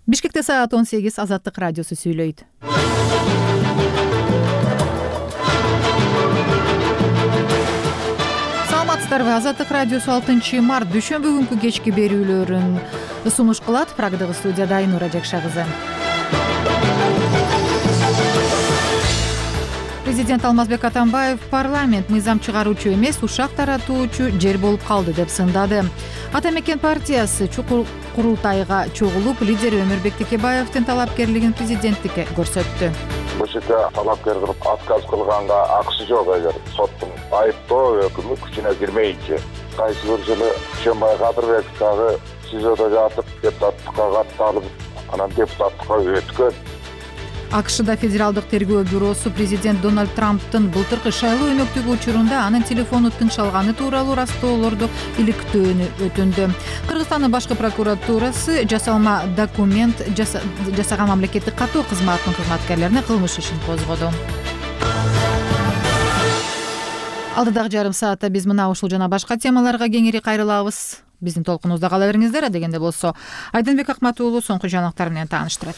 Бишкекте саат 18 Азаттык радиосу сүйлөйт. Саламатсыздарбы? Азаттык радиосу 6 март дүйшөмбү күнкү кечки берүүлөрүн сунуш кылат. Программадагы студияда Айнура Жакша кызы. Президент Алмазбек Атамбаев парламент мыйзам чыгаруучу эмес, ушак таратуучу жер болуп калды деп сындады. Ата мекен партиясы чукул курултайга чогулуп, лидер Өмүрбек Текебаевдин талапкерлигин президенттикке көрсөттү. Бул жерде талапкер кылып отказ кылганга акысы жок. Эгер соттун айыптоо өкүмү күчүнө кирмейинче, кайсы бир жылы Шембай Кадырбек дагы СИЗОдо жатып, депутаттыкка катталып, анан депутаттыкка өткөн. АКШда Федералдык тергөө бюросу президент Дональд Трамптын былтыркы шайлоо өнөктүгү учурунда анын телефону тыңшалганы тууралуу растоолорду иликтөөнү өтүндү. Кыргызстандын башкы прокуратурасы жасалма документ жасаган мамлекеттик каттоо кызматынын кызматкерлерине кылмыш ишин козгоду. Алдыдагы жарым саатта биз мына ушул жана башка темаларга кеңири кайрылабыз. Биздин толкунубузда кала бериңиздер. Дегенде болсо Айдынбек Акматуулу соңку жаңылыктар менен тааныштырат.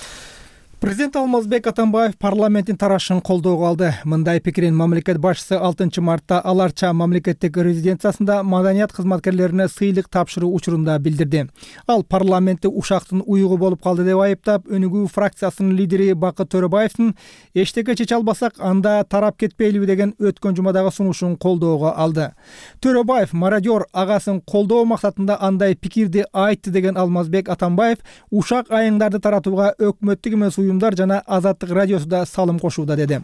Президент Алмазбек Атамбаев парламенттин тарашын колдоого алды. Мындай пикирин мамлекет башчысы 6 мартта Аларча мамлекеттик резиденциясында маданият кызматкерлерине сыйлык тапшыруу учурунда билдирди. Ал парламентти ушактын уюгу болуп калды деп айыптап, Өнүгүү фракциясынын лидери Бакыт Төрөбаевдин эчтеке чече албасак, анда тарап кетпейлиби деген өткөн жумадагы сунушун колдоого алды. Төрөбаев мародер агасын колдоо максатында андай пикирди айтты деген Алмазбек Атамбаев ушак айыңдарды таратууга өкмөттүк эмес уюмдар жана Азаттык радиосуда салым кошууда деди.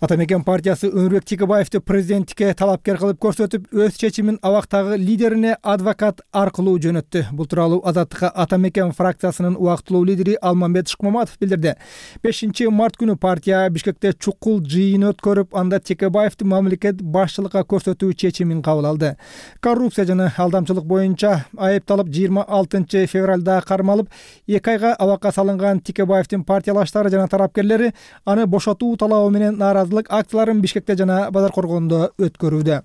Ата мекен партиясы Өмүрбек Текебаевди президенттикке талапкер кылып көрсөтүп, өз чечимин абактагы лидерине адвокат аркылуу жөнөттү. Бул тууралуу Азаттыкка Ата мекен фракциясынын убактылуу лидери Алмамбет Шыкмаматов билдирди. 5 март күнү партия Бишкекте чукул жыйын өткөрүп, анда Текебаевди мамлекет башчылыкка көрсөтүү чечимин кабыл алды. Коррупция жана алдамчылык боюнча айыпталып 26 февралда кармалып, 2 айга абакка салынган Текебаевдин партиялаштары жана тарапкерлери аны бошотуу талабы менен нааразылык акцияларын Бишкекте жана Базаркоргондо өткөрүүдө.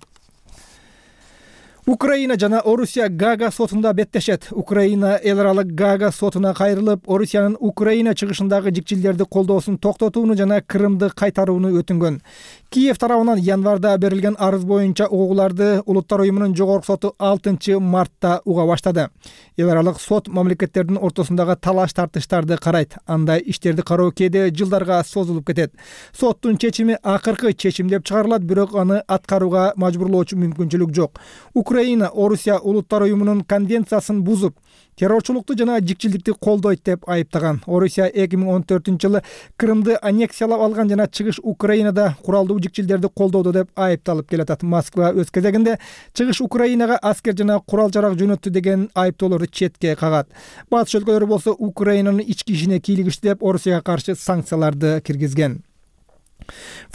Украина жана Орусия Гага сотунда беттешет. Украина эл аралык Гага сотуна кайрылып, Орусиянын Украина чыгышындагы жикчилдерди колдоосун токтотууну жана Крымды кайтарууну өтүнгөн. Киев тарабынан январда берилген арыз боюнча угууларды Улуттар уюмунун жогорку соту 6 мартта уга баштады. Эл аралык сот мамлекеттердин ортосундагы талаш тартыштарды карайт. Андай иштерди кароо кээде жылдарга созулуп кетет. Соттун чечими акыркы чечим деп чыгарылат, бирок аны аткарууга мажбурлоочу мүмкүнчүлүк жок. Украина Орусия Улуттар уюмунун конвенциясын бузуп, террорчулукту жана жикчилдикти колдойт деп айыптаган. Орусия 2014-жылы Крымды аннексиялап алган жана чыгыш Украинада куралдуу жикчилдерди колдоду деп айыпталып келатат. Москва өз кезегинде чыгыш Украинага аскер жана курал-жарак жөнөттү деген айыптоолорду четке кагат. Батыш өлкөлөрү болсо Украинанын ички ишине кийлигиштүү деп Орусияга каршы санкцияларды киргизген.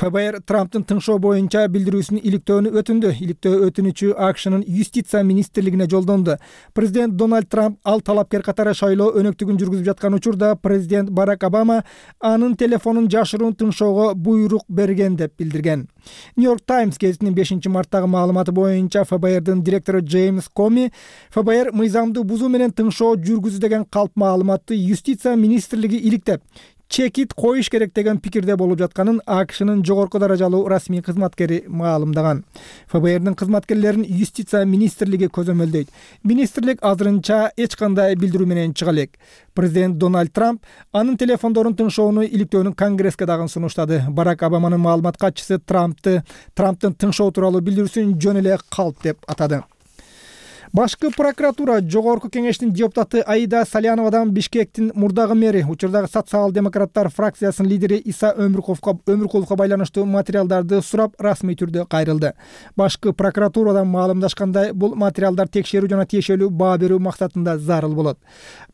ФБР Трамптын тыңшоо боюнча билдирүүсүн иликтөөнү өтүндү. Иликтөө өтүнүчү АКШнын юстиция министрлигине жолдонду. Президент Дональд Трамп ал талапкер катары шайлоо өнөктүгүн жүргүзүп жаткан учурда президент Барак Обама анын телефонун жашыруун тыңшоого буйрук берген деп билдирген. Нью-Йорк Таймс гезитинин 5 марттагы маалыматы боюнча ФБРдын директору Джеймс Коми ФБР мыйзамды бузуу менен тыңшоо жүргүзүү деген калп маалыматты юстиция министрлиги иликтеп, чекит коюш керек деген пикирде болуп жатканын АКШнын жогорку даражалуу расмий кызматкери маалымдаган. ФБРдин кызматкерлерин юстиция министрлиги көзөмөлдөйт. Министрлик азырынча эч кандай билдирүү менен чыга элек. Президент Дональд Трамп анын телефондорун тыңшоону иликтөөнү Конгресске дагы сунуштады. Барак Обаманын маалымат катчысы Трамптын тыңшоо тууралуу билдирүүсүн жөн эле калп деп атады. Башкы прокуратура жогорку кеңештин депутаты Аида Саляновадан Бишкектин мурдагы мэри, учурдагы социал-демократтар фракциясынын лидери Иса Өмүркуловго байланыштуу материалдарды сурап, расмий түрдө кайрылды. Башкы прокуратурадан маалымдашкандай, бул материалдар текшерүү жана тиешелүү баа берүү максатында зарыл болот.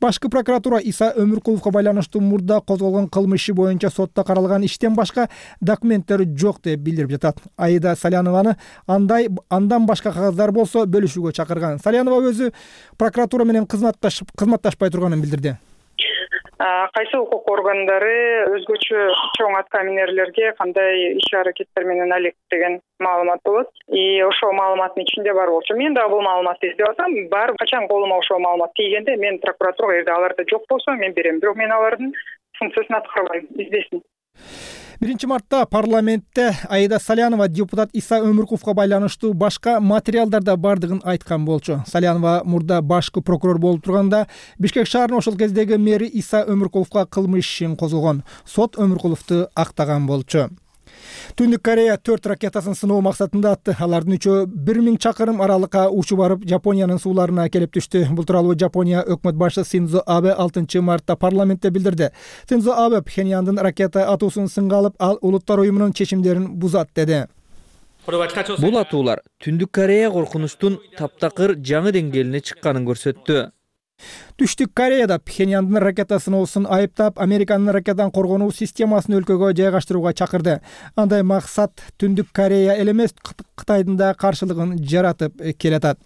Башкы прокуратура Иса Өмүркуловго байланыштуу мурда козголгон кылмыш иши боюнча сотто каралган иштен башка документтер жок деп билдирип жатат. Аида Салянованы андан башка кагаздар болсо бөлүшүүгө чакырган. Салянова өзү прокуратура менен кызматташпай турганын билдирди. кайсы укук органдары өзгөчө чоң аткаминерлерге кандай иш-аракеттер менен алек деген маалымат болот. И ошол маалыматтын ичинде бар болчу. Мен дагы бул маалыматты издеп атам. Бар качан колума ошол маалымат тийгенде мен прокуратурага эгерде аларда жок болсо мен берем. Бирок мен алардын функциясын аткарбайм, издесин. 1-мартта парламентте Аида Салянова депутат Иса Өмүркуловго байланыштуу башка материалдарда бардыгын айткан болчу. Салянова мурда башкы прокурор болуп турганда Бишкек шаарынын ошол кездеги мэри Иса Өмүркуловго кылмыш ишин козгогон. Сот Өмүркуловду актаган болчу. Түндүк Корея 4 ракетасын сыноо максатында атты. Алардын 3-өө 1000 чакырым аралыкка учуп барып, Жапониянын сууларына келип түштү. Бул тууралуу Жапония өкмөт башчысы Синдзо Абе 6-мартта парламентте билдирди. Синдзо Абе Пхеньяндын ракета атуусун сынга алып, ал Улуттар уюмунун чечимдерин бузат деди. Бул атуулар Түндүк Корея коркунучтун таптакыр жаңы деңгээлине чыкканын көрсөттү. Түштүк Кореяда Пхеньяндын ракета сыноосун айыптап, Американын ракетадан коргонуу системасын өлкөгө жайгаштырууга чакырды. Андай максат Түндүк Корея эле эмес, Кытайдын да каршылыгын жаратып келатат.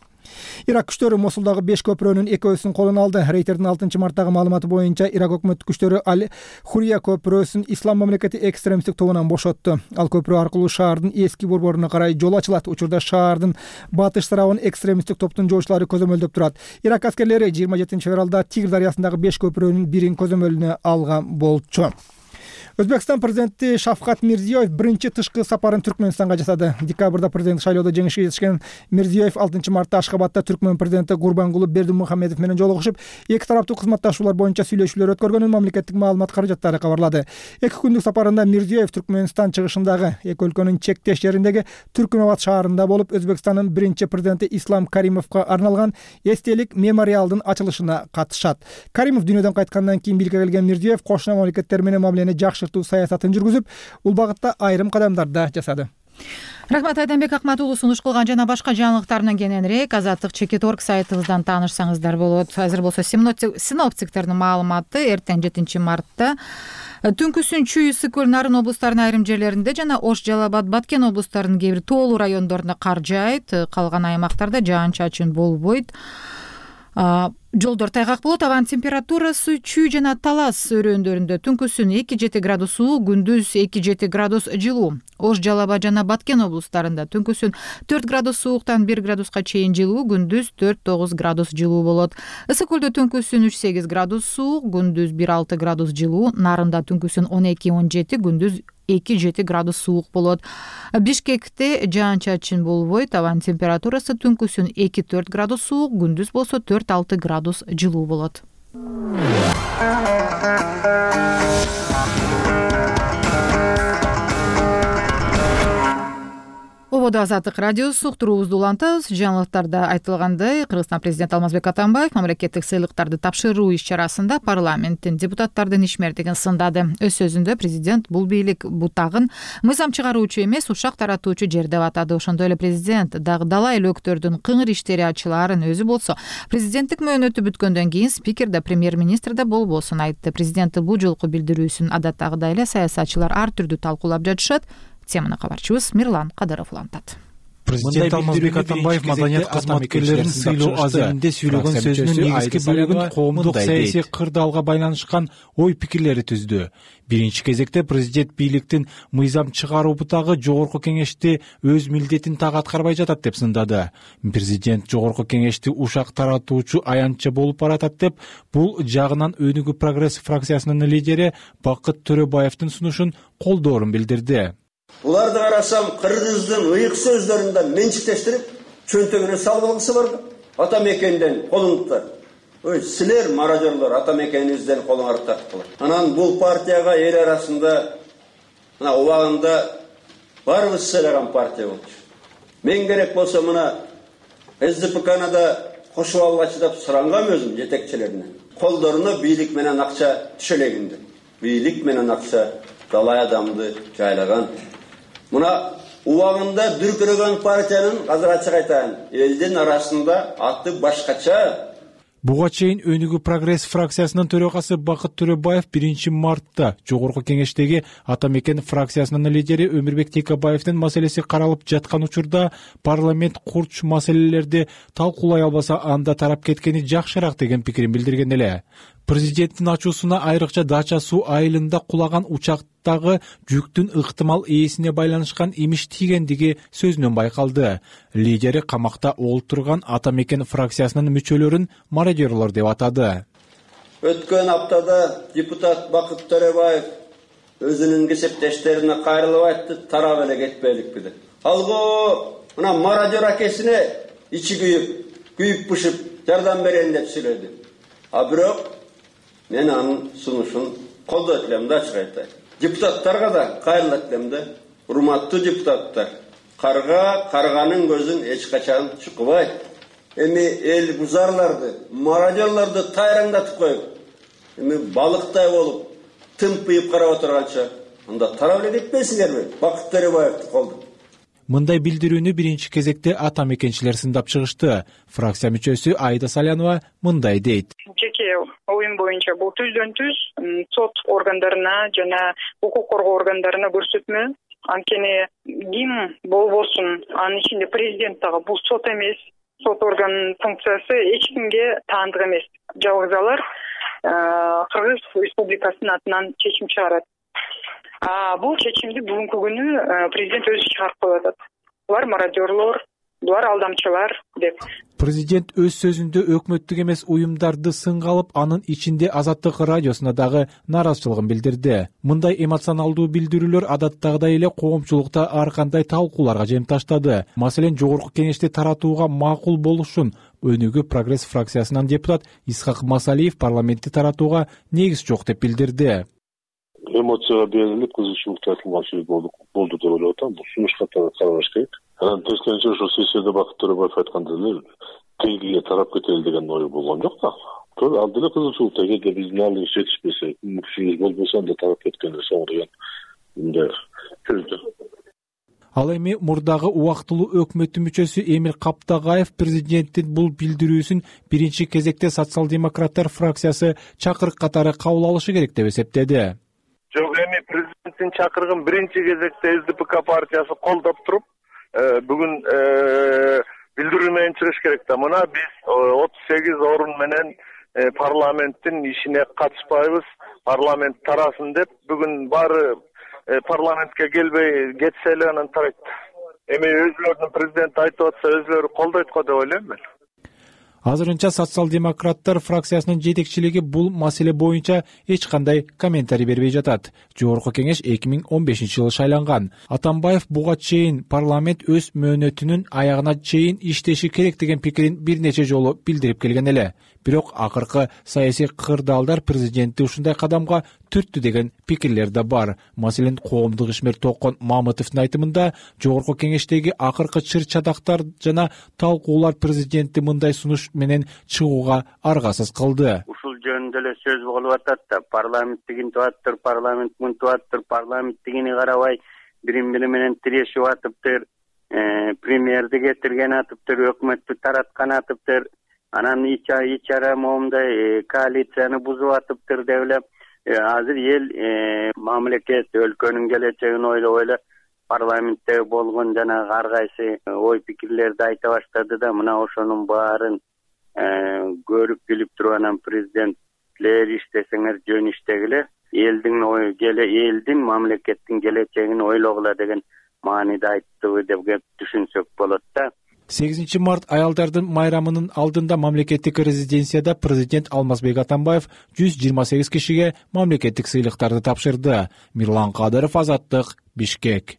Ирак күчтөрү Мосулдагы 5 көпүрөнүн экөөсүн колуна алды. Рейтердин 6-марттагы маалыматы боюнча Ирак өкмөт күчтөрү Аль-Хурия көпүрөсүн Ислам мамлекети экстремисттик тобунан бошотту. Ал көпүрө аркылуу шаардын эски борборуна карай жол ачылат. Учурда шаардын батыш тарабын экстремисттик топтун жоочулары көзөмөлдөп турат. Ирак аскерлери 27-февралда Тигр дарыясындагы 5 көпүрөнүн бирин көзөмөлүнө алган болчу. Өзбекстан президенти Шавкат Мирзиёев биринчи тышкы сапарын Түркмөнстанга жасады. Декабрда президент шайлоодо жеңишке жетишкен Мирзиёев 6-мартта Ашхабадта Түркмөн президенти Гурбангулы Бердимухамедов менен жолугушуп, эки тараптуу кызматташуулар боюнча сүйлөшүүлөр өткөргөнүн мамлекеттик маалымат каражаттары кабарлады. 2 күндүк сапарында Мирзиёев Түркмөнстан чыгышындагы эки өлкөнүн чектеш жериндеги Түркүнабад шаарында болуп, Өзбекстандын биринчи президенти Ислам Каримовго арналган эстелик мемориалдын ачылышына катышат. Каримов дүйнөдөн кайткандан кийин бийликке келген Мирзиёев кошуна мамлекеттер менен мамилени саясатын жүргүзүп, бул багытта айрым кадамдар да жасады. Рахмат, Айданбек Акмат уулу сунуш кылган жана башка жаңылыктардан кененирээк Азаттык.org сайтыбыздан таанышсаңыздар болот. Азыр болсо синоптиктердин маалыматы эртең 7-мартта түнкүсүн Чүй, Ысык-Көл, Нарын облустарынын айрым жерлеринде жана Ош, Жалал Абад, Баткен облустарынын кээ бир тоолуу райондорунда кар жаайт, калган аймактарда жаан-чачын болбойт. Жолдор тайгак болот. Абанын температурасы Чүй жана Талас өрөөндөрүндө түнкүсүн 2-7 градус суук, күндүз 2-7 градус жылуу. Ош, Жалал Абад жана Баткен облустарында түнкүсүн 4 градус сууктан 1 градуска чейин жылуу, күндүз 4-9 градус жылуу болот. Ысык-Көлдө түнкүсүн 3-8 градус суук, күндүз 1-6 градус жылуу. Нарында түнкүсүн 12-17, күндүз 2-7 градус суук болот. Бишкекте жаан-чачын болбойт. Абанын температурасы түнкүсүн 2-4 градус суук, күндүз болсо 4-6 градус жылуу болот. Ободо Азаттык радиосу уктуруубузду улантабыз. Жаңылыктарда айтылгандай, Кыргызстан президенти Алмазбек Атамбаев мамлекеттик сыйлыктарды тапшыруу иш-чарасында парламенттин депутаттардын ишмердигин сындады. Өз сөзүндө президент бул бийлик бутагын мыйзам чыгаруучу эмес, ушак таратуучу жер деп атады. Ошондой эле президент дагы элөктөрдүн кыңыр иштери ачылаарын, өзү болсо президенттик мөөнөтү бүткөндөн кийин спикер да, премьер-министр да болбосун айтты. Президенттин бул жолку билдирүүсүн адаттагыдай эле саясатчылар ар түрдүү талкуулап жатышат. Теманы кабарчыбыз Мирлан Кадыров улантат. Президент Алмазбек Атамбаев маданият кызматкерлерин сыйлоо аземинде сүйлөгөн сөзүнүн негизги бөлүгүн коомдук саясий кырдаалга байланышкан ой пикирлери түздү. Биринчи кезекте президент бийликтин мыйзам чыгаруу бутагы жогорку кеңешти өз милдетин так аткарбай жатат деп сындады. Президент жогорку кеңешти ушак таратуучу аянтча болуп баратат деп, бул жагынан Өнүгүү прогресс фракциясынын лидери Бакыт Төрөбаевдин сунушун колдоорун билдирди. Буларды карасам, кыргыздын ыйык сөздөрүндө менчиктештирип, чөнтөгүнө салгылгысы бар. Ата мекенден колуңуздар. Ой, силер маражорлор ата мекениңизден колуңарды тартып. Анан бул партияга эл арасында мына убагында барыбыз сыйлаган партия болчу. Мен керек болсо мына СДПКны да кошуп алгачы деп сурангам өзүм жетекчилерине. Колдоруна бийлик менен акча түшөлөгүндү. Бийлик менен акча далай адамды жайлаган. Мына убагында дүркүрөгөн партиянын азыр ачык айтайын, элдин арасында аты башкача. Буга чейин Өнүгүү прогресс фракциясынын төрагасы Бакыт Төрөбаев 1-мартта Жогорку Кеңештеги Ата Мекен фракциясынын лидери Өмүрбек Текебаевдин маселеси каралып жаткан учурда парламент курч маселелерди талкуулай албаса анда тарап кеткени жакшыраак деген пикирин билдирген эле. Президенттин ачуусуна айрыкча Дача суу айылында кулаган учактагы жүктүн ыктымал ээсине байланышкан имиш тийгендиги сөзүнөн байкалды. Лидери камакта олтурган Ата Мекен фракциясынын мүчөлөрүн мародёрлор деп атады. Өткөн аптада депутат Бакыт Төрөбаев өзүнүн кесиптештерине кайрылып айтты, тарап эле кетпейлик биде. Алго мына мародёр акесине ичи күйүп бышып жардам берейин деп сүйлөдү. А бирок мен анын сунушун колдойт элем да, ачык айтайын. Депутаттарга да кайрылат элем да. Урматтуу депутаттар, карганын көзүн эч качан чукубайт. Эми эл бузарларды, мародёрлорду тайраңдатып коюп, эми балыктай болуп, тымпыйып карап отурганча, анда тарап эле кетпейсиңерби? Бакыт Төрөбаевди колдоп. Мындай билдирүүнү биринчи кезекте Ата Мекенчилер сындап чыгышты. Фракция мүчөсү Айда Салянова мындай дейт. Жеке оюм боюнча бул түздөн-түз сот органдарына жана укук коргоо органдарына көрсөтмө. Анткени ким болбосун, анын ичинде президент дагы бул сот эмес. Сот органынын функциясы эч кимге таандык эмес. Жалгыз алар Кыргыз Республикасынын атынан чечим чыгарат. Бул чечимди бүгүнкү күнү президент өзү чыгарып коюп атат. Булар мародёрлор, булар алдамчылар деп. Президент өз сөзүндө өкмөттүк эмес уюмдарды сынга алып, анын ичинде Азаттык радиосуна дагы нааразычылыгын билдирди. Мындай эмоционалдуу билдирүүлөр адаттагыдай эле коомчулукта ар кандай талкууларга жем таштады. Маселен, Жогорку Кеңешти таратууга макул болушун Өнүгүү прогресс фракциясынан депутат Исхак Масалиев парламентти таратууга негиз жок деп билдирди. Эмоцияга берилип, кызычуулук тартылган сөз болду деп ойлоп атам. Бул сунушка караш керек. Анан тескерисинче ошол сессияда Бакыт Төрөбаев айткандай эле тегиге тарап кетели деген ой болгон жок да. Ал деле кызычуулук, эгерде биздин алдыбыз жетишпесе, күчүбүз болбосо анда тарап кеткенде соң деген мындай сөздү. Ал эми мурдагы убактылуу өкмөттүн мүчөсү Эмил Каптагаев президенттин бул билдирүүсүн биринчи кезекте социал-демократтар фракциясы чакырык катары кабыл алышы керек деп эсептеди. Жок, эми президенттин чакырыгын биринчи кезекте СДПК партиясы колдоп туруп, бүгүн билдирүү менен чыгыш керек да. Мына биз 38 орун менен парламенттин ишине катышпайбыз, парламент тарасын деп бүгүн баары парламентке келбей кетсе эле анан тарайт. Эми өзүлөрүнүн президент айтып атса, өзүлөрү колдойт го деп ойлойм мен. Азырынча социал-демократтар фракциясынын жетекчилиги бул маселе боюнча эч кандай комментарий бербей жатат. Жогорку Кеңеш 2015-жылы шайланган. Атамбаев буга чейин парламент өз мөөнөтүнүн аягына чейин иштеши керек деген пикирин бир нече жолу билдирип келген эле. Бирок акыркы саясий кырдаалдар президентти ушундай кадамга түрттү деген пикирлер да бар. Маселен, коомдук ишмер Токон Мамытовдун айтымында Жогорку Кеңештеги акыркы чыр-чадактар жана талкуулар президентти мындай сунуш менен чыгууга аргасыз кылды. Ушул жөнүндө эле сөз болуп атат да, парламент тигинтип атыптыр, парламент мынтип атыптыр, парламент тигини карабай бири-бири менен тирешип атыптыр, премьерди кетирген атыптыр, өкмөттү тараткан атыптыр, анан ичара моундай коалицияны бузуп атыптыр деп эле азыр эл мамлекет өлкөнүн келечегин ойлоп эле парламентте болгон жана ар кайсы ой пикирлерди айта баштады да, мына ошонун баарын көрүп билип туруп анан президентлер иштесеңер жөн иштегиле, элдин мамлекеттин келечегин ойлогула деген мааниде айттыбы деп түшүнсөк болот да. 8 март аялдардын майрамынын алдында мамлекеттик резиденцияда президент Алмазбек Атамбаев 128 кишиге мамлекеттик сыйлыктарды тапшырды. Мирлан Кадыров, Азаттык, Бишкек.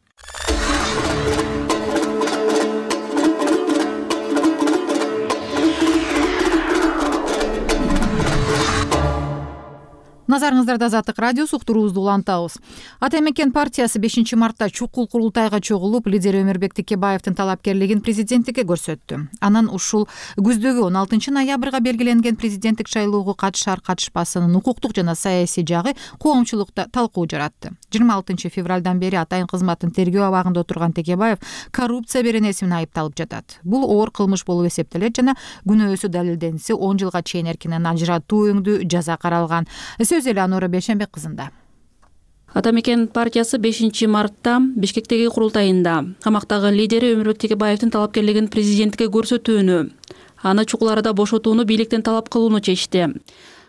Назарыңыздарда Азаттык радиосу, уктуруубузду улантабыз. Ата Мекен партиясы 5-мартта чукул курултайга чогулуп, лидер Өмүрбек Текебаевдин талапкерлигин президенттикке көрсөттү. Анан ушул күздөгү 16-ноябрга белгиленген президенттик шайлоого катышар-катышпасынын укуктук жана саясий жагы коомчулукта талкуу жаратты. 26 февралдан бери атайын кызматын тергөө абагында отурган Текебаев коррупция беренеси менен айыпталып жатат. Бул оор кылмыш болуп эсептелет жана күнөөсү далилденсе 10 жылга чейин эркинен ажыратуу өңдүү жаза каралган. Сөз эле Анура Бейшенбек кызында. Ата Мекен партиясы 5-мартта Бишкектеги курултайында камактагы лидери Өмүрбек Текебаевдин талапкерлигин президенттикке көрсөтүүнү, аны чукул арада бошотууну бийликтен талап кылууну чечти.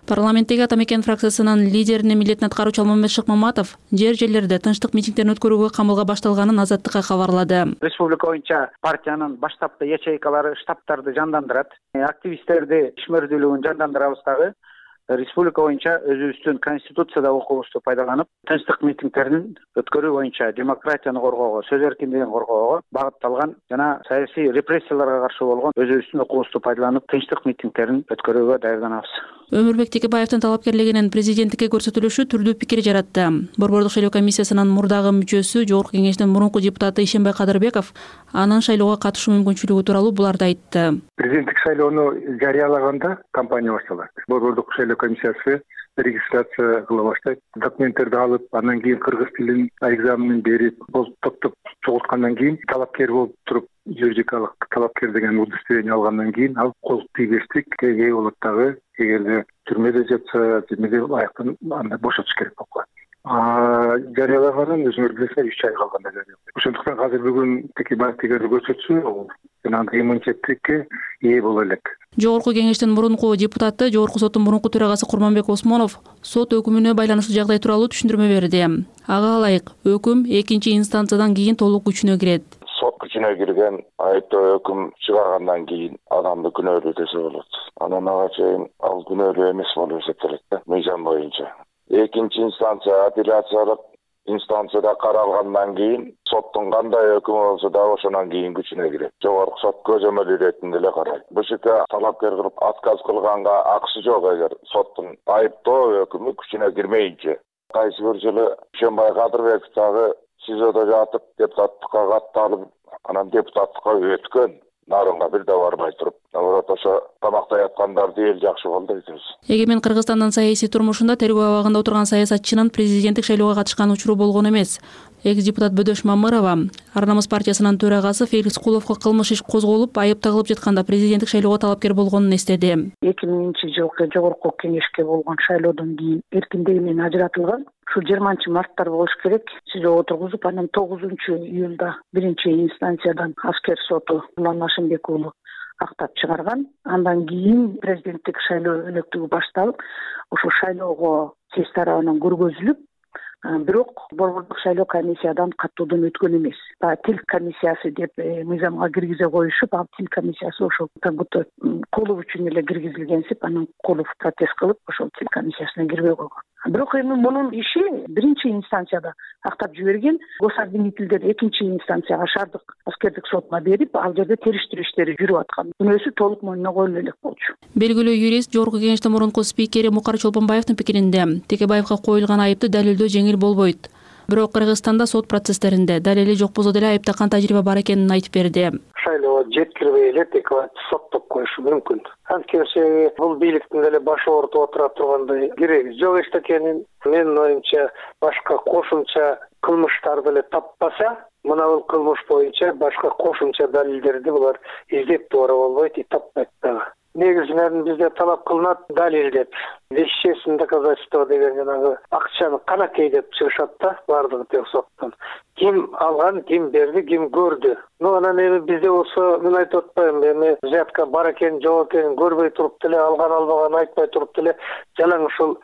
Парламенттеги Ата Мекен фракциясынын лидеринин милдетин аткаруучу Алмамбет Шыкмаматов жер-жерлерде тынчтык митингдерин өткөрүүгө камылга башталганын Азаттыкка кабарлады. Республика боюнча партиянын баштапкы ячейкалары штабтарды жандандырат, активисттерди ишмердүүлүгүн жандандырабыз дагы. Республика боюнча өзүбүздүн конституцияда укугубузду пайдаланып, тынчтык митингдерин өткөрүү боюнча демократияны коргоого, сөз эркиндигин коргоого багытталган жана саясий репрессияларга каршы болгон өзүбүздүн укугубузду пайдаланып, тынчтык митингдерин өткөрүүгө даярданабыз. Өмүрбек Текебаевдин талапкерлигинин президенттикке көрсөтүлүшү түрдүү пикир жаратты. Борбордук шайлоо комиссиясынын мурдагы мүчөсү, Жогорку кеңештин мурунку депутаты Ишенбай Кадырбеков анын шайлоого катышуу мүмкүнчүлүгү тууралуу буларды айтты. Президенттик шайлоону жарыялаганда кампания башталат. Борбордук шайлоо комиссиясы регистрация кыла баштайт. Документтерди алып, андан кийин кыргыз тилин экзаменин берип, топтоп чогулткандан кийин талапкер болуп туруп, юридикалык талапкер деген удостоверение алгандан кийин ал колук тийбестикке ээ болот дагы. Эгерде түрмөдө жатса, түрмөдө аяктан анда бошотуш керек болуп калат. Жарыялаганын өзүңөр билесиңер 3 ай калганда жарыяланды. Ошондуктан азыр бүгүн Текебаев эгерде көрсөтсө, ал жанагы иммунитетке ээ боло элек. Жогорку кеңештин мурунку депутаты, Жогорку соттун мурунку төрагасы Курманбек Осмонов сот өкүмүнө байланыштуу жагдай тууралуу түшүндүрмө берди. Ага ылайык, өкүм 2-инстанциядан кийин толук күчүнө кирет. Сот күчүнө кирген айыптоо өкүм чыгаргандан кийин адамды күнөөлүү десе болот. Анан ага чейин ал күнөөлүү эмес болуп эсептелет да, мыйзам боюнча. 2-инстанция апелляциялык инстанцияда каралгандан кийин соттун кандай өкүмү болсо да ошондон кийин күчүнө кирет. Жогорку сот көзөмөл иретинде эле карайт. БШК талапкер кылып отказ кылганга акысы жок эгер соттун айыптоо өкүмү күчүнө кирмейинче. Кайсы бир жылы Ишенбай Кадырбеков дагы СИЗОдо жатып депутаттыкка катталып, анан депутаттыкка өткөн. Нарынга бир да барбай туруп, наоборот ошо тамактай аткандарды эл жакшы болду дейбиз. Эгемен Кыргызстандын саясий турмушунда тергөө абагында отурган саясатчынын президенттик шайлоого катышкан учуру болгон эмес. Экс-депутат Бөдөш Мамырова, Ар намыс партиясынын төрагасы Феликс Куловго кылмыш иш козголуп, айып тагылып жатканда президенттик шайлоого талапкер болгонун эстеди. 2000-жылкы жогорку кеңешке болгон шайлоодон кийин эркиндиги менен ажыратылган. Ушул 20-марттар болуш керек. СИЗО отургузуп, анан 9-июлда 1-инстанциядан аскер соту Улан Ашимбек уулу актап чыгарган. Андан кийин президенттик шайлоо өнөктүгү башталып, ушул шайлоого тез тарабынан көргөзүлүп, бирок борбордук шайлоо комиссиядан каттоодон өткөн эмес. Тил комиссиясы деп мыйзамга киргизе коюшуп, ал тил комиссиясы ошол Тангуто Кулов үчүн эле киргизилгенсип, анан Кулов протест кылып, ошол тил комиссиясына кирбей койгон. Бирок эми мунун иши 1-инстанцияда актап жиберген, гособвинительдер 2-инстанцияга шаардык аскердик сотуна берип, ал жерде териштирүү иштери жүрүп аткан. Күнөөсү толук мойнуна коюлуп элек болчу. Белгилүү юрист Жогорку кеңештин мурунку спикери Мукар Чолпонбаевдин пикиринде, Текебаевга коюлган айыпты далилдөө жеңил болбойт. Бирок Кыргызстанда сот процесстеринде далили жок болсо деле айыптакан тажрыйба бар экенин айтып берди. Шайлоо жеткирбей эле Текебаевди соттоп коюшу мүмкүн. Анткени бул бийликтин деле башы ортого отура тургандай кереги жок эчтекенин менин оюмча башка кошумча кылмыштар деле таппаса, мына бул кылмыш боюнча башка кошумча далилдерди булар издеп тура болбойт, таппайт дагы. Негизинен бизде талап кылынат далил деп. Вещественное доказательство деген жанагы акчаны канакей деп чыгышат да, бардыгы тең соттон. Ким алган, ким берди, ким көрдү. Анан эми бизде болсо, мен айтып атпайм, эми взятка бар экен, жок экенин көрбөй туруп деле, алган албаган айтпай туруп деле, жалаң ушул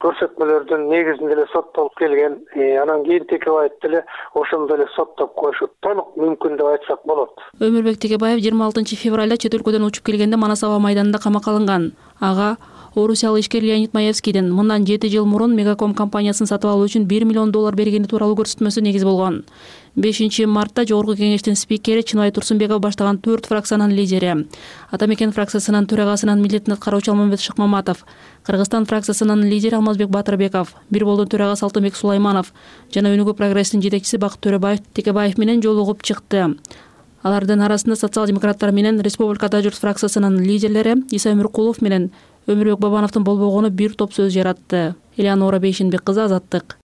көрсөтмөлөрдүн негизинде эле соттолуп келген. Анан кийин Текебаев деле ошондо эле соттоп коюшу толук мүмкүн деп айтсак болот. Өмүрбек Текебаев 26 февралда чет өлкөдөн учуп келгенде Манас аба майданында камакка алынган. Ага орусиялык ишкер Леонид Маевскийдин мындан 7 жыл мурун Мегаком компаниясын сатып алуу үчүн $1 миллион бергени тууралуу көрсөтмөсү негиз болгон. 5 мартта Жогорку кеңештин спикери Чыныбай Турсунбеков баштаган 4 фракциянын лидери, Ата Мекен фракциясынын төрагасынын милдетин аткаруучу Алмамбет Шыкмаматов, Кыргызстан фракциясынын лидери Алмазбек Батырбеков, Бир Болдун төрагасы Алтынбек Сулайманов жана Өнүгүү прогресстин жетекчиси Бакыт Төрөбаев Текебаев менен жолугуп чыкты. Алардын арасында социал-демократтар менен Республикада журт фракциясынын лидерлери Иса Өмүркулов менен Өмүрбек Бабановдун болбогону бир топ сөз жаратты. Элеонора Бейшенбек кызы, Азаттык.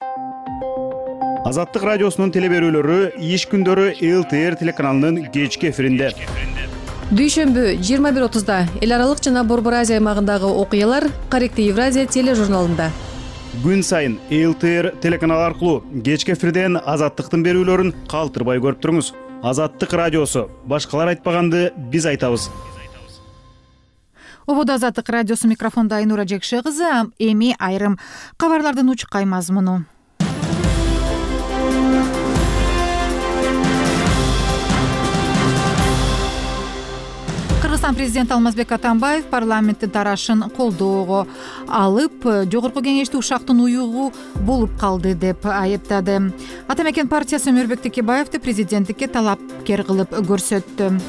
Азаттык радиосунун телеберүүлөрү иш күндөрү ЛТР телеканалынын кечки эфиринде. Дүйшөмбү 21:30 эл аралык жана Борбор Азия аймагындагы окуялар Каректи Евразия тележурналында. Күн сайын ЛТР телеканалы аркылуу кечки эфирден Азаттыктын берүүлөрүн калтырбай көрүп туруңуз. Азаттык радиосу. Башкалар айтпаганды биз айтабыз. Ободо Азаттык радиосу, микрофондо Айнура Жекше кызы. Эми айрым кабарлардын учкай мазмуну. Кыргызстан президенти Алмазбек Атамбаев парламенттин тарашын колдоого алып, Жогорку кеңешти ушактын уюгу болуп калды деп айыптады. Ата Мекен партиясы Өмүрбек Текебаевди президенттикке талапкер кылып көрсөттү.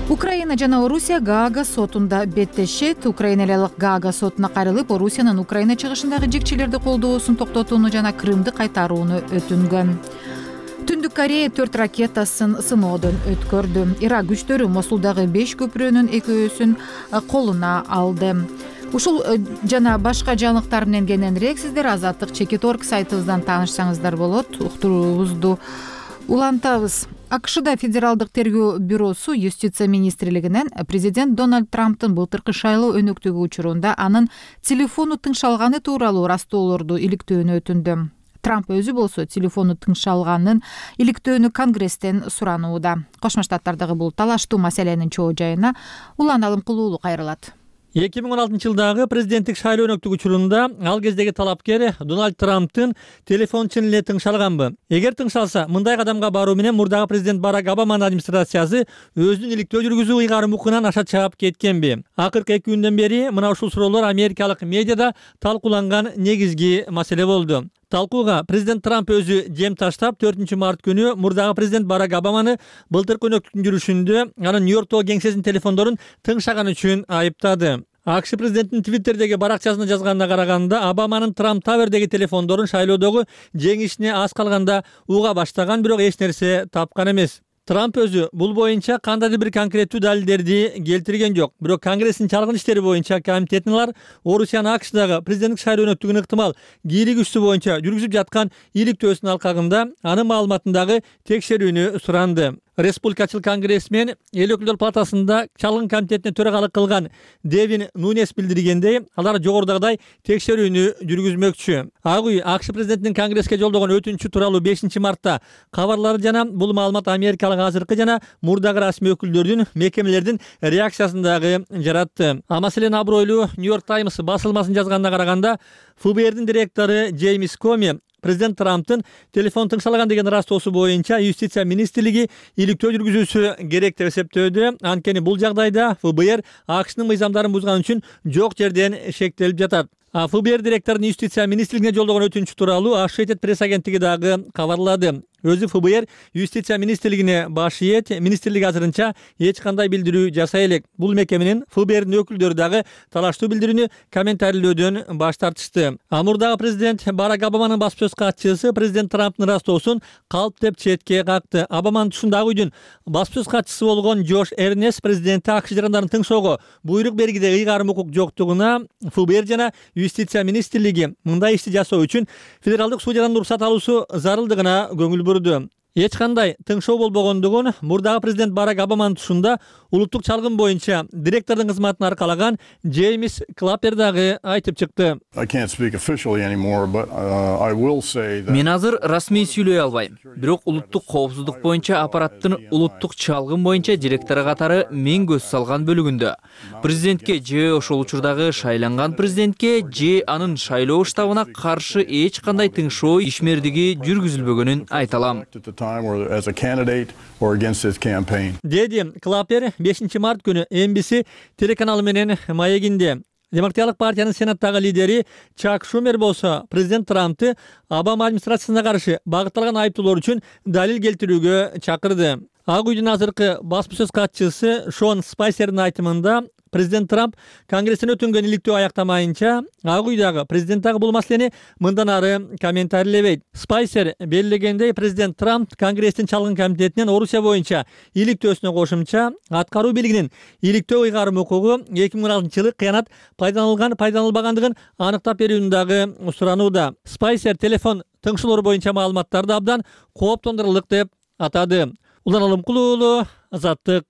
Украина жана Орусия Гаага сотунда беттешет. Украиналык Гаага сотуна кайрылып, Орусиянын Украина чыгышындагы жекчилерди колдоосун токтотууну жана Крымды кайтарууну өтүнгөн. Түндүк Корея 4 ракетасын сыноодон өткөрдү. Ирак күчтөрү Мосулдагы 5 көпүрөнүн 2-өсүн колуна алды. Ушул жана башка жаңылыктар менен кененирээк сиздер Азаттык Чекит.org сайтыбыздан таанышсаңыздар болот. Уктуруубузду улантабыз. АКШда Федералдык тергөө бюросу Юстиция министрлигинен президент Дональд Трамптын былтыркы шайлоо өнөктүгү учурунда анын телефону тыңшалганы тууралуу растоолорду иликтөөнү өтүндү. Трамп өзү болсо телефону тыңшалганын иликтөөнү Конгресстен суранууда. Кошмо Штаттардагы бул талаштуу маселенин чоо жайына Улан Алымкулуулу кайрылат. 2016 жылдагы президенттик шайлоо өнөктүгү учурунда ал кездеги талапкер Дональд Трамптын телефону чын эле тыңшалганбы? Эгер тыңшалса, мындай кадамга баруу менен мурдагы президент Барак Обаманын администрациясы өзүнүн иликтөө жүргүзүү ыйгарым укугунан аша чаап кеткенби? Акыркы 2 күндөн бери мына ушул суроолор америкалык медиада талкууланган негизги маселе болду. Талкууга президент Трамп өзү жем таштап, 4 март күнү мурдагы президент Барак Обаманы былтыркы өнөктүктүн жүрүшүндө анын Нью-Йорктогу кеңсесинин телефондорун тыңшаган үчүн айыптады. АКШ президентинин Твиттердеги баракчасына жазганына караганда, Обаманын Трамп Тавердеги телефондорун шайлоодогу жеңишине аз калганда уга баштаган, бирок эч нерсе тапкан эмес. Трамп өзү бул боюнча кандайдыр бир конкреттүү далилдерди келтирген жок. Бирок Конгресстин чалгын иштери боюнча комитетинин Орусиянын АКШдагы президенттик шайлоо өнөктүгүнүн ыктымал кийлигүүсү боюнча жүргүзүп жаткан иликтөөсүнүн алкагында анын маалыматындагы текшерүүнү суранды. Республикачыл конгрессмен эл өкүлдөр палатасында чалгын комитетине төрагалык кылган Девин Нунес билдиргендей, алар жогорудагыдай текшерүүнү жүргүзмөкчү. Ак үй АКШ президентинин Конгресске жолдогон өтүнүчү тууралуу 5 мартта кабарлары жана бул маалымат америкалык азыркы жана мурдагы расмий өкүлдөрдүн, мекемелердин реакциясындагы жаратты. А маселен абройлуу Нью-Йорк Таймс басылмасынын жазганына караганда, ФБРдин директору Джеймс Коми президент Трамптын телефон тыңшалган деген растоосу боюнча Юстиция министрлиги иликтөө жүргүзүүсү керек деп эсептөөдө. Анткени бул жагдайда ФБР АКШнын мыйзамдарын бузган үчүн жок жерден шектелип жатат. ФБР директорунун Юстиция министрлигине жолдогон өтүнүчү тууралуу Associated Press агенттиги дагы кабарлады. Өзү ФБР Юстиция министрлигине баш ийет, министрлик азырынча эч кандай билдирүү жасай элек. Бул мекеменин ФБРдин өкүлдөрү дагы талаштуу билдирүүнү комментарийлөөдөн баш тартышты. Мурдагы президент Барак Обаманын баспасөз катчысы президент Трамптын растоосун калп деп четке какты. Обаманын тушундагы үйдүн баспасөз катчысы болгон Джош Эрнест президенти АКШ жарандарын тыңшоого буйрук бергиде ыйгарым укук жоктугуна ФБР жана Юстиция министрлиги мындай ишти жасоо үчүн федералдык судьядан уруксат алуусу зарылдыгына көңүл бурду. Эч кандай тыңшоо болбогондугун мурдагы президент Барак Обаманын тушунда улуттук чалгын боюнча директордун кызматын аркалаган Джеймс Клаппер дагы айтып чыкты. Мен азыр расмий сүйлөй албайм. Бирок улуттук коопсуздук боюнча аппараттын улуттук чалгын боюнча директору катары мен көз салган бөлүгүндө президентке же ошол учурдагы шайланган президентке же анын шайлоо штабына каршы эч кандай тыңшоо ишмердиги жүргүзүлбөгөнүн айта алам. Деди Клаппер 5 март күнү NBC телеканалы менен маегинде. Демократиялык партиянын сенаттагы лидери Чак Шумер болсо президент Трампты Обама администрациясына каршы багытталган айыптоолор үчүн далил келтирүүгө чакырды. Ак үйдүн азыркы басма сөз катчысы Шон Спайсердин айтымында президент Трамп Конгресстен өтүнгөн иликтөө аяктамайынча Ак үйдагы президент дагы бул маселени мындан ары комментарийлебейт. Спайсер белгилегендей, президент Трамп Конгресстин чалгын комитетинен Орусия боюнча иликтөөсүнө кошумча аткаруу бийлигинин иликтөө ыйгарым укугу 2016-жылы кыянат пайдаланылбагандыгын аныктап берүүнү дагы суранууда. Спайсер телефон тыңшылоору боюнча маалыматтарды абдан кооптондурарлык деп атады. Улан Алымкулуу уулу, Азаттык.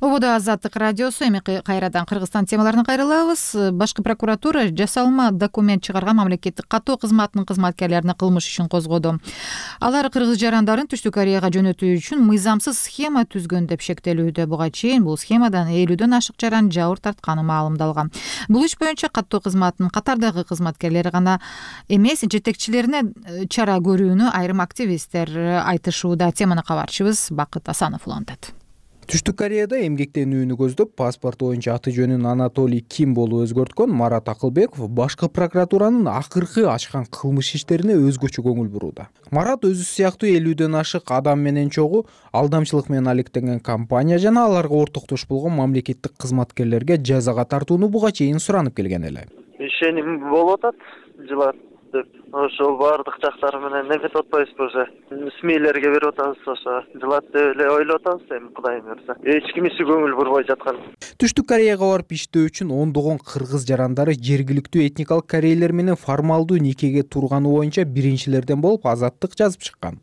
Ободо Азаттык радиосу. Эми кайрадан Кыргызстан темаларына кайрылабыз. Башкы прокуратура жасалма документ чыгарган мамлекеттик каттоо кызматынын кызматкерлерине кылмыш ишин козгоду. Алар кыргыз жарандарын Түштүк Кореяга жөнөтүү үчүн мыйзамсыз схема түзгөн деп шектелүүдө. Буга чейин бул схемадан 50дөн ашык жаран жабыр тартканы маалымдалган. Бул иш боюнча каттоо кызматынын катардагы кызматкерлери гана эмес, жетекчилерине чара көрүүнү айрым активисттер айтышууда. Теманы кабарчыбыз Бакыт Асанов улантат. Түштүк Кореяда эмгектенүүнү көздөп паспорт боюнча аты жөнүн Анатолий Ким болуп өзгөрткөн Марат Акылбеков башкы прокуратуранын акыркы ачкан кылмыш иштерине өзгөчө көңүл бурууда. Марат өзү сыяктуу 50дөн ашык адам менен чогуу алдамчылык менен алектенген компания жана аларга ортоктош болгон мамлекеттик кызматкерлерге жазага тартууну буга чейин суранып келген эле. Ишеним болуп атат, жылат деп ошол баардык жактары менен неметип атпайбызбы, уже СМИлерге берип атабыз, ошо жылат деп эле ойлоп атабыз. Эми Кудайым буйрса эч кимиси көңүл бурбой жаткан. Түштүк Кореяга барып иштөө үчүн ондогон кыргыз жарандары жергиликтүү этникалык корейлер менен формалдуу никеге турганы боюнча биринчилерден болуп Азаттык жазып чыккан.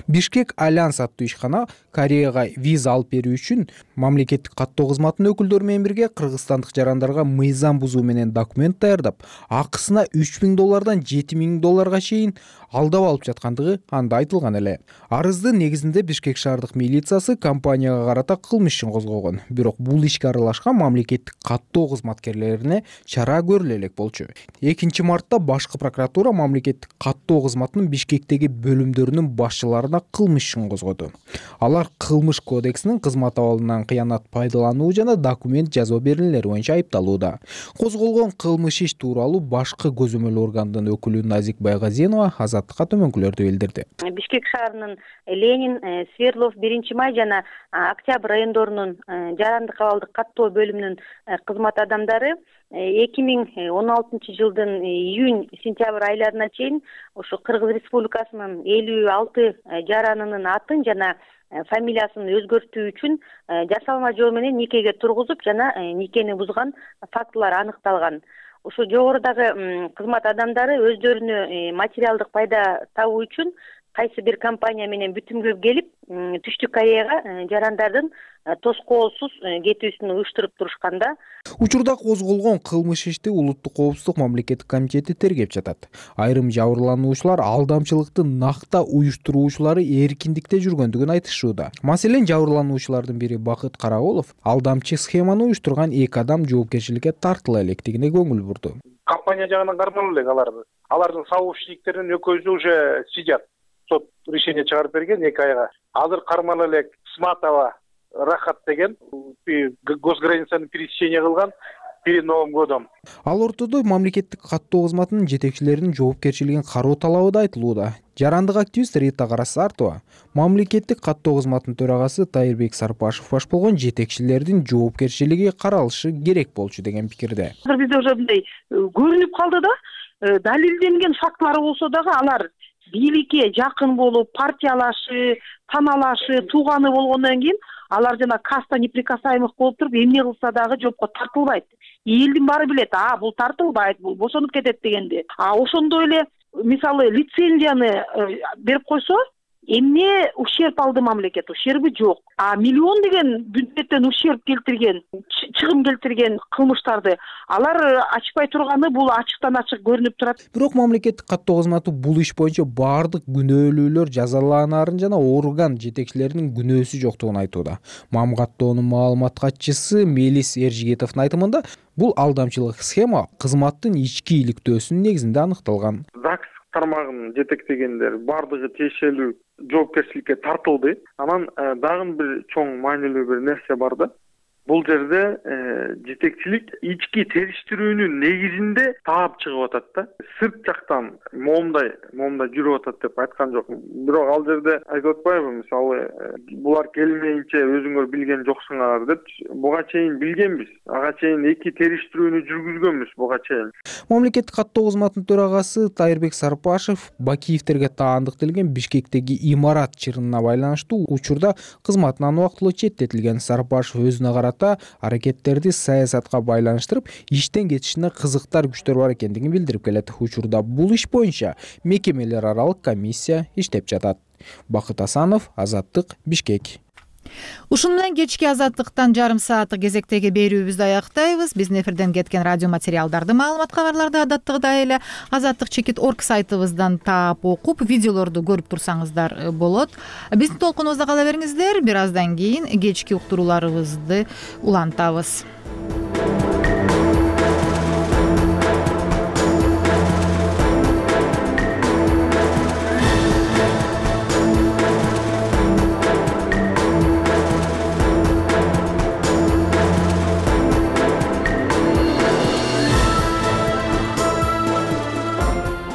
Бишкек Альянс аттуу ишкана Кореяга виза алып берүү үчүн мамлекеттик каттоо кызматынын өкүлдөрү менен бирге кыргызстандык жарандарга мыйзам бузуу менен документ даярдап, акысына $3000 $7000 чейин алдап алып жаткандыгы анда айтылган эле. Арыздын негизинде Бишкек шаардык милициясы компанияга карата кылмыш ишин козгогон. Бирок бул ишке аралашкан мамлекеттик каттоо кызматкерлерине чара көрүлө элек болчу. 2 мартта башкы прокуратура мамлекеттик каттоо кызматынын Бишкектеги бөлүмдөрүнүн башчыларына кылмыш ишин козгоду. Алар кылмыш кодексинин кызмат абалынан кыянат пайдалануу жана документ жазуу берүүлери боюнча айыпталууда. Козголгон кылмыш иш тууралуу башкы көзөмөл органдын өкүлү Назик Байгазинова Азаттыкка төмөнкүлөрдү билдирди. Бишкек шаарынын Ленин, Свердлов, 1-Май жана Октябрь райондорунун жарандык абалдык каттоо бөлүмүнүн кызмат адамдары 2016 жылдын июнь-сентябрь айларына чейин ошо Кыргыз Республикасынын 56 жаранынын атын жана фамилиясын өзгөртүү үчүн жасалма жол менен никеге тургузуп жана никени бузган фактылар аныкталган. Ошо жогорудагы кызмат адамдары өздөрүнө материалдык пайда табуу үчүн кайсы бир компания менен бүтүмгө келип, Түштүк Кореяга жарандардын тоскоолсуз кетүүсүн уюштуруп турушканда, учурда козголгон кылмыш ишти Улуттук коопсуздук мамлекеттик комитети тергеп жатат. Айрым жабырлануучулар алдамчылыктын накта уюштуруучулары эркиндикте жүргөндүгүн айтышууда. Маселен, жабырлануучулардын бири Бакыт Караолов алдамчы схеманы уюштурган 2 адам жоопкерчиликке тартыла электигине көңүл бурду. Компания жагынан кармалуу элек аларды. Алардын сообщниктеринин экөөсү уже сидят. Сот решение чыгарып берген 2 айга. Азыр кармала элек Сматова Рахат деген госграницаны пересечение кылган перед Новым годом. Ал ортодо мамлекеттик каттоо кызматынын жетекчилеринин жоопкерчилигин кароо талабы да айтылууда. Жарандык активист Рита Карасартова мамлекеттик каттоо кызматынын төрагасы Тайырбек Сарпашев баш болгон жетекчилердин жоопкерчилиги каралышы керек болчу деген пикирде. Бизде уже мындай көрүнүп калды да, далилденген фактылар болсо дагы алар бийликке жакын болуп, партиялашы, таналашы, тууганы болгондон кийин алар жана каста неприкасаемых болуп туруп, эмне кылса дагы жоопко тартылбайт. Элдин баары билет, бул тартылбайт, бул бошонуп кетет дегенди. Ошондой эле мисалы лицензияны берип койсо, эмне ущерб алды мамлекет? Ущерби жок. Миллион деген бюджеттен ущерб келтирген, чыгым келтирген кылмыштарды алар ачпай турганы бул ачыктан ачык көрүнүп турат. Бирок мамлекеттик каттоо кызматы бул иш боюнча баардык күнөөлүүлөр жазаланарын жана орган жетекчилеринин күнөөсү жоктугун айтууда. Мамгаттоонун маалымат катчысы Мелис Эржигетовдун айтымында, бул алдамчылык схема кызматтын ички иликтөөсүнүн негизинде аныкталган. ЗАГС тармагын жетектегендер баардыгы тиешелүү жоопкерчиликке тартылды. Анан дагы бир чоң маанилүү бир нерсе бар да. бул жерде жетекчилик ички териштирүүнүн негизинде таап чыгып атат да. Сырт жактан моомдой жүрүп атат деп айткан жокмун. Бирок ал жерде айтып атпайбы, мисалы булар келмейинче өзүңөр билген жоксуңар деп. Буга чейин билгенбиз. Ага чейин эки териштирүүнү жүргүзгөнбүз буга чейин. Мамлекеттик каттоо кызматынын төрагасы Тайырбек Сарпашев Бакиевтерге таандык делген Бишкектеги имарат чырынына байланыштуу учурда кызматынан убактылуу четтетилген. Сарпашев өзүнө карата аракеттерди саясатка байланыштырып, иштен кетишине кызыктар күчтөр бар экендигин билдирип келет. Учурда бул иш боюнча мекемелер аралык комиссия иштеп жатат. Бакыт Асанов, Азаттык, Бишкек. Ушуну менен кечки Азаттыктан жарым сааттык кезектеги берүүбүздү аяктайбыз. Биздин эфирден кеткен радио материалдарды, маалымат кабарларды адаттагыдай эле azattik.org сайтыбыздан таап окуп, видеолорду көрүп турсаңыздар болот. Биздин толкунубузда кала бериңиздер. Бир аздан кийин кечки уктурууларыбызды улантабыз.